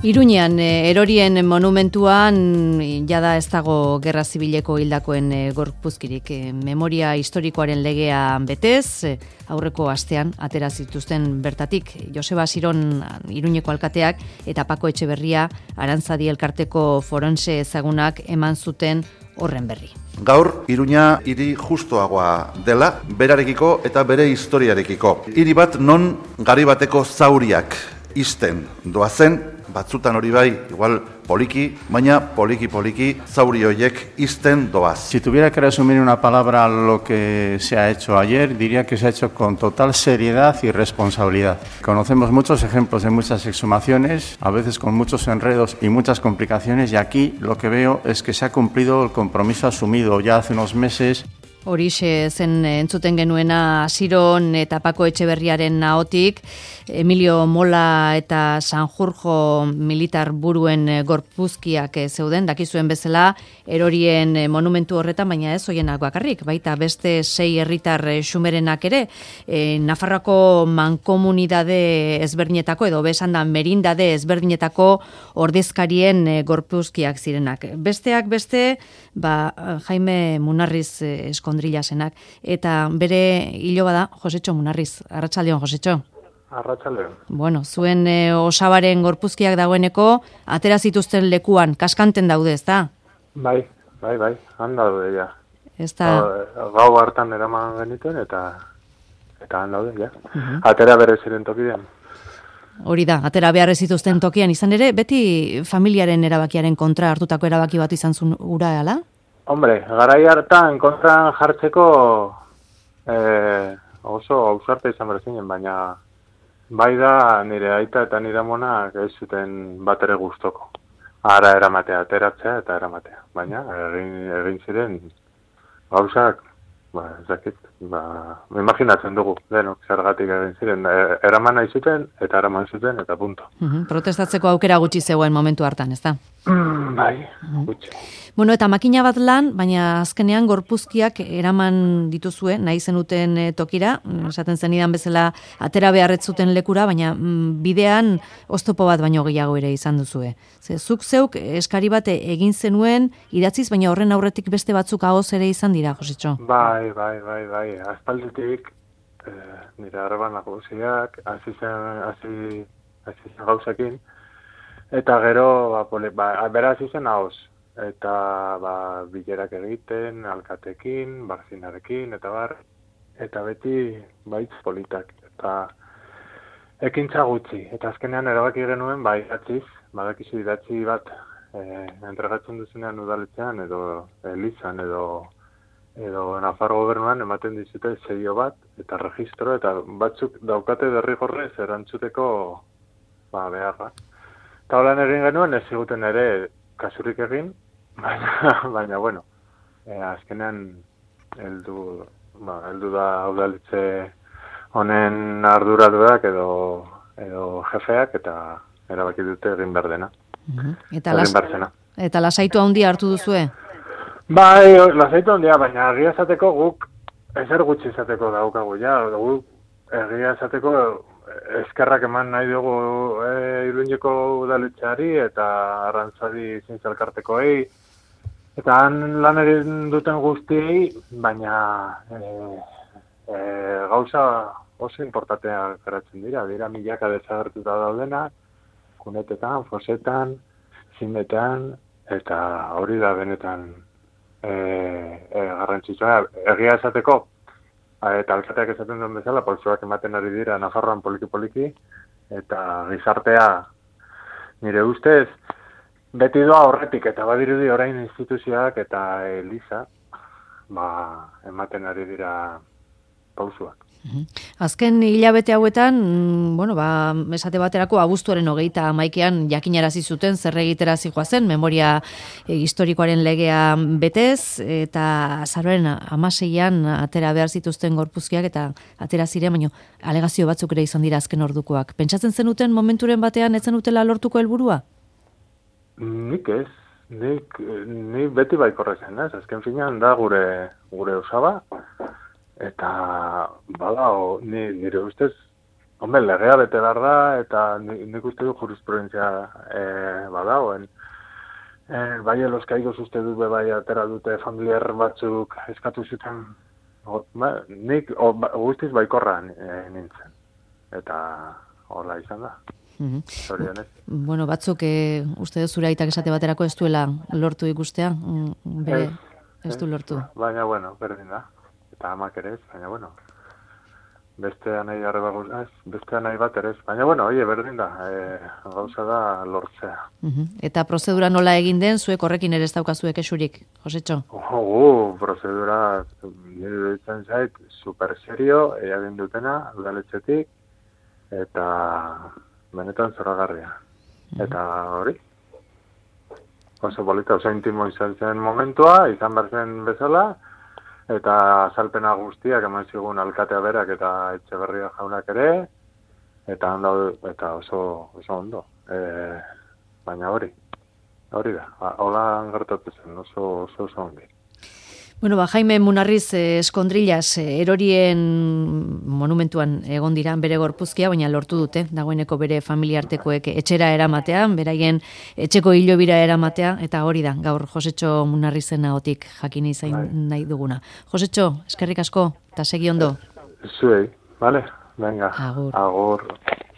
Iruñean, erorien monumentuan, jada ez dago gerra zibileko hildakoen gorpuzkirik. Memoria historikoaren legea betez, aurreko astean atera zituzten bertatik. Joseba Siron Iruñeko alkateak eta Pako Etxeberria Arantzadi elkarteko forense ezagunak eman zuten horren berri. Gaur, Iruña hiri justuagoa dela, berarekiko eta bere historiarekiko. Hiri bat non gari bateko zauriak isten doazen, batzutan hori bai, igual poliki, baina poliki zauri horiek isten doaz. Si tuviera que resumir una palabra lo que se ha hecho ayer, diría que se ha hecho con total seriedad y responsabilidad. Conocemos muchos ejemplos de muchas exhumaciones, a veces con muchos enredos y muchas complicaciones, y aquí lo que veo es que se ha cumplido el compromiso asumido ya hace unos meses. Horixe zen entzuten genuena Siron eta Pako Etxeberriaren ahotik, Emilio Mola eta Sanjurjo militar buruen gorpuzkiak zeuden, dakizuen bezala, erorien monumentu horretan, baina ez hoienak bakarrik, baita beste 6 herritar xumerenak ere, Nafarroako mankomunidade ezberdinetako, edo besan da merindade ezberdinetako ordezkarien gorpuzkiak zirenak. Besteak beste, Jaime Munarriz eskondrilasenak, eta bere hiloba da Josetxo Munarriz. Arratsaldeon, Josetxo. Arratsaldeon. Bueno, zuen osabaren gorpuzkiak dagoeneko atera zituzten lekuan, kaskanten daude, ezta? Bai, han daude, ja. Gau hartan eraman genituen, eta han daude, ja. Atera bere ziren tokidean. Hori da, atera behar zituzten tokian izan ere, beti familiaren erabakiaren kontra hartutako erabaki bat izan zuen ura, ala? Hombre, garai hartan kontran jartzeko oso ausarta izan berzinen, baina bai da nire aita eta nire amonak ez zuten bat ere gustoko. Ara eramatea, ateratzea eta eramatea. Baina egin ziren gauzak, imaginatzen dugu, denok zergatik egin ziren. Eraman nahi zuten eta eraman zuten eta punto. Protestatzeko aukera gutxi zegoen momentu hartan, ez da? Bai, gutxi. Bueno, eta makina bat lan, baina azkenean gorpuzkiak eraman dituzue, nahi zenuten tokira, esaten zenidan bezala atera beharretzuten lekura, baina bidean oztopo bat baino gehiago ere izan duzue. Zuk zeuk eskari bat egin zenuen, idatziz, baina horren aurretik beste batzuk ahoz ere izan dira, Josetxo? Bai. Aspalditik, nire harreban nagusiak, hasi zen gauzekin, eta gero, bera hasi zen ahoz. Eta bilerak egiten, alkatekin, barzinarekin, eta beti baitz politak. Eta ekintza gutxi. Eta azkenean erabaki genuen, idatziz, badakizu idatzi bat entregatzen duzunean udaletzean, edo elizan, edo Nafarro gobernuan ematen dizute seio bat, eta registro, eta batzuk daukate derrigorrez erantzuteko beharra. Eta holan egin genuen, ez ziguten ere kasurik egin, baina bueno, azkenean heldu da udaletxe honen arduradurak edo jefeak eta erabaki dute egin behar dena. Eta lasaitu handia hartu duzue? Bai, lasaitu handia, baina egia esateko guk ezer gutxi izateko daukagu, guk egia esateko eskerrak eman nahi dugu Iruñeko udaletxeari eta Arantzadi zintzelkartekoei, eta han lan egin duten guztiei, baina gauza oso importanteak geratzen dira milaka desagertuta daudenak, kunetetan, fosetan, zimetean, eta hori da benetan garrantzitsua. Egia esateko, eta alkateak esaten duen bezala, pausoak ematen ari dira Nafarroan poliki, eta gizartea nire ustez beti doa horretik, eta badirudi orain instituzioak eta Eliza ematen ari dira pausoak. Azken hilabete hauetan, esate baterako abuztuaren 31ean jakinarazi zuten zer egitera zihoazen, memoria historikoaren legea betez, eta azaroaren 16ean atera behar zituzten gorpuzkiak eta atera ziren, baina alegazio batzuk ere izan dira azken ordukoak. Pentsatzen zenuten momenturen batean ez zenutela lortuko helburua? Nik ez. Ni beti baikorra zen, ez? Azken finean da gure osaba, eta nire ustez Hombre, legea bete behar da, eta nik uste du jurisprudentzia badagoen. Bai, los caigos uste dut bai atera dute familiar batzuk eskatu zuten, nik guztiz baikorra nintzen. Eta hola izan da. Bueno, batzuk uste dut zure aitak esate baterako ez duela lortu ikustea, ez du lortu. Baina, bueno, berdin da. Eta amak ere ez, baina, bueno, beste nahi bat ere ez. Baina, bueno, berdin da, gauza da lortzea. Eta prozedura nola egin den, zuek horrekin ere ez daukazuek esurik, Josetxo? Prozedura, nire ditzen zait, super serio, egin dutena, udaletxetik, eta benetan zoragarria. Eta hori, oso bolita, oso intimo izan zen momentua, izan behar zen bezala, eta azalpena guztiak eman zigun alkatea berak eta Etxeberria jaunak ere, eta oso ondo. Baina hori da, hola gertatu zen, oso ondi. Bueno, Jaime Munarriz Eskondrillas erorien monumentuan egon dira bere gorpuzkia, baina lortu dute, dagoeneko bere familiartekoek etxera eramatea, beraien etxeko hilobira eramatea, eta hori da, gaur Josetxo Munarrizen ahotik jakin izan nahi duguna. Josetxo, eskerrik asko, eta segi ondo. Zuei, vale? Venga, agur. Agur.